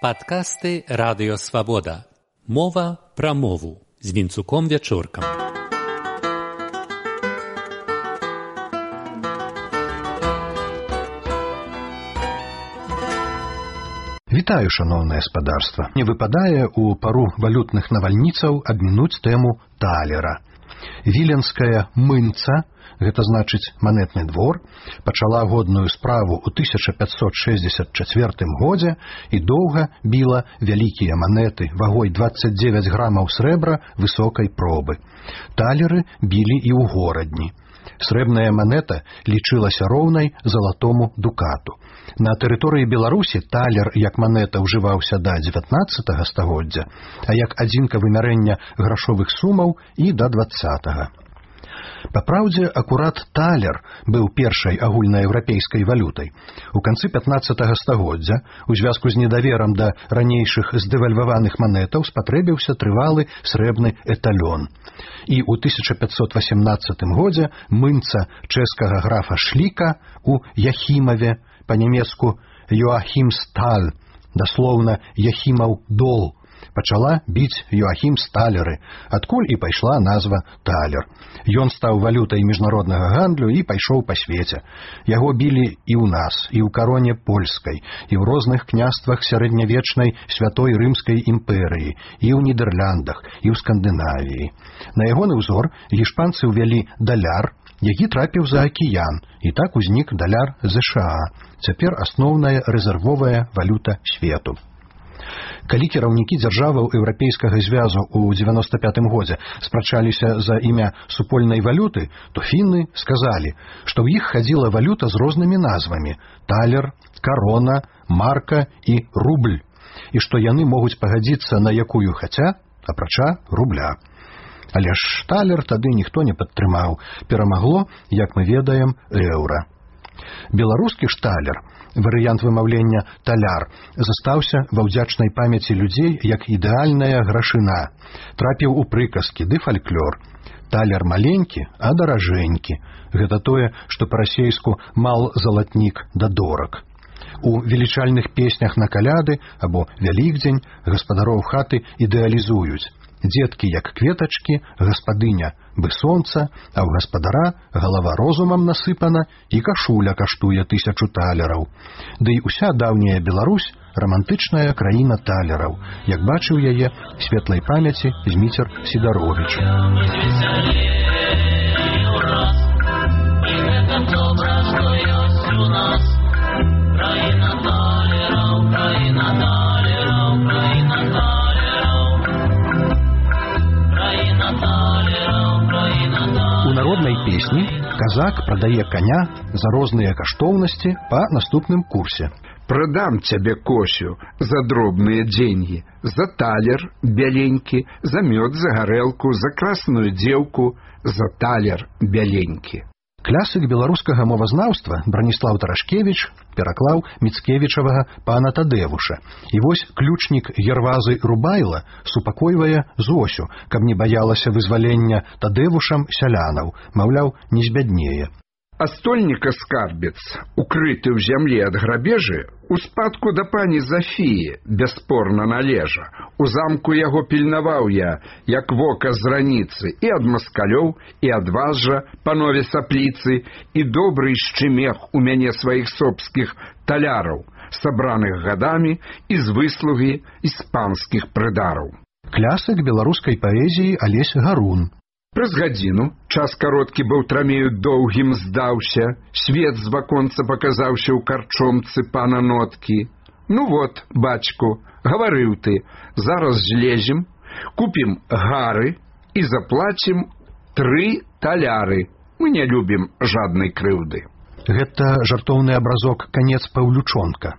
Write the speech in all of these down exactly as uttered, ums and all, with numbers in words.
Падкасты Радыё Свабода. Мова пра мову з Вінцуком Вячоркам. Вітаю, шаноўнае спадарства. Не выпадае ў пару валютных навальніцаў абмінуць тэму талера. Віленская мынца, гэта значыць манетны двор, пачала годную справу ў тысяча пятьсот шэсцьдзесят чацвёртым годзе і доўга біла вялікія манеты вагой дваццаць дзевяць грамаў срэбра высокай пробы. Талеры білі і ў горадні. Срэбная манета лічылася роўнай залатому дукату. На тэрыторыі Беларусі талер як манета ўжываўся да дзевятнаццатага стагоддзя, а як адзінка вымярэння грашовых сумаў і да дваццатага. Па праўдзе, акурат талер быў першай агульнаеўрапейскай валютай. У канцы пятнаццатага стагоддзя, у звязку з недаверам да ранейшых здэвальваваных манетаў, спатрэбіўся трывалы срэбны эталён. І ў тысяча пятьсот васемнаццатым годзе мынца чэшскага графа Шліка у Яхімаве, па-нямецку Йоахімсталь, даслоўна Яхімаў дол, пачала біць Йоахімсталеры, адкуль і пайшла назва талер. Ён стаў валютай міжнароднага гандлю і пайшоў па свеце. Яго білі і ў нас, і ў кароне польскай, і ў розных княствах сярэднявечнай святой рымскай імперыі, і ў Нідэрляндах, і ў Скандынавіі. На ягоны ўзор гішпанцы ўвялі даляр, які трапіў за акіян, і так узнік даляр ЗША, цяпер асноўная рэзервовая валюта свету. Калі кіраўнікі дзяржаваў еўрапейскага звязу ў дзевяноста пятым годзе спрачаліся за імя супольнай валюты, то фінны сказалі, што ў іх хадзіла валюта з рознымі назвамі – талер, карона, марка і рубль, і што яны могуць пагадзіцца на якую хаця, апрача рубля. Але ж талер тады ніхто не падтрымаў, перамагло, як мы ведаем, еўра. Беларускі ж талер, варыянт вымаўлення таляр, застаўся ва ўдзячнай памяці людзей як ідэальная грашына, трапіў у прыказкі ды фальклор. Талер маленькі, а даражэнькі. Гэта тое, што па-расейску мал залатнік да дораг. У велічальных песнях на каляды або вялікдзень гаспадароў хаты ідэалізуюць. Дзеткі як кветачкі, гаспадыня бы сонца, а ў гаспадара галава розумам насыпана і кашуля каштуе тысячу талераў. Ды і ўся даўняя Беларусь рамантычная краіна талераў, як бачыў яе светлай памяці Зміцер Сідаровіч. У народнай песні казак прадае каня за розныя каштоўнасці па наступным курсе. Продам цябе, Косю, за дробныя деньги, за талер бяленькі, за мёд, за гарэлку, за красную дзеўку, за талер бяленькі. Клясык беларускага мовазнаўства Браніслаў Тарашкевіч пераклаў Міцкевічавага пана Тадэвуша. І вось ключнік Гервазы Рубайла супакойвае Зосю, каб не баялася вызвалення Тадэвушам сялянаў, маўляў, не збяднее. А стольніка скарбец, укрыты ў зямлі ад грабежы, у спадку да пані Зафіі бясспорна належа. У замку яго пільнаваў я, як вока з раніцы, і ад маскалёў, і ад вас жа, панове сапліцы, і добрый шчымех у мяне сваіх собскіх таляраў, сабраных гадамі і з выслугі іспанскіх прыдараў. Клясык беларускай паэзіі Алесь Гарун. Праз гадзіну час кароткі баўтрамею доўгім здаўся, свет з ваконца паказаўся ў карчомцы пана Ноткі. Ну вот, бацьку, гаварыў ты, зараз злезем, купім гары і заплацім тры таляры. Мы не любім жаднай крыўды. Гэта жартоўны абразок канец Паўлючонка.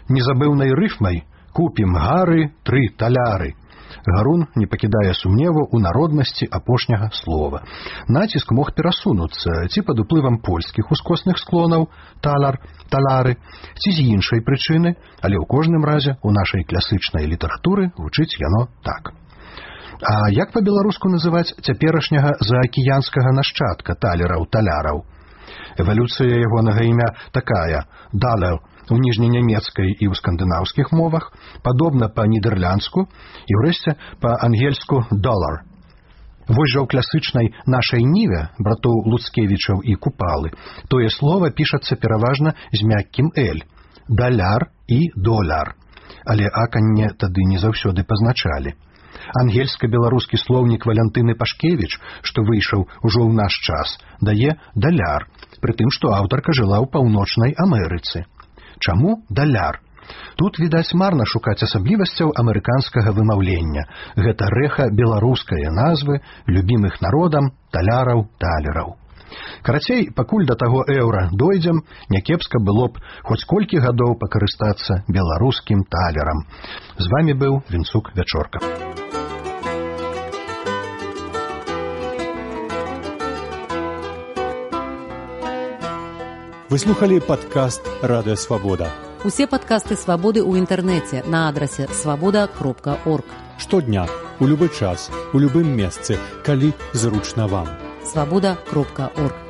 Незабыўнай рыфмай купім гары, тры таляры. Гарун не пакідае сумневу ў народнасці апошняга слова. Націск мог перасунуцца ці пад уплывам польскіх ускосных склонаў талар, талары, ці з іншай прычыны, але ў кожным разе ў нашай класычнай літаратуры гучыць яно так. А як па-беларуску называць цяперашняга заакіянскага нашчадка талераў-таляраў? Эвалюцыя ягонага імя такая: далер, у ніжненямецкай і ў скандынаўскіх мовах, падобна па-нідэрландску і ўрэшце па-ангельску «долар». Вось жа ў класычнай нашай ніве братоў Луцкевічаў і Купалы тое слова пішацца пераважна з мяккім «эль» – «даляр» і «доляр», але аканне тады не заўсёды пазначалі. Ангельска-беларускі слоўнік Валянтыны Пашкевіч, што выйшаў ужо ў наш час, дае «даляр», пры тым, што аўтарка жыла ў паўночнай Амерыцы. Чаму «даляр»? Тут, відаць, марна шукаць асаблівасцяў амерыканскага вымаўлення. Гэта рэха беларускае назвы любімых народам таляраў, талераў. Карацей, пакуль да таго еўра дойдзем, някепска было б хоць колькі гадоў пакарыстацца беларускім талерам. З вамі быў Вінцук Вячорка. Вы слухали падкаст «Радыё Свабода». Усе падкасты «Свабоды» ў інтэрнэце на адрасе свабода кропка орг. Штодня, у любы час, у любым месцы, калі зручна вам. свабода кропка орг.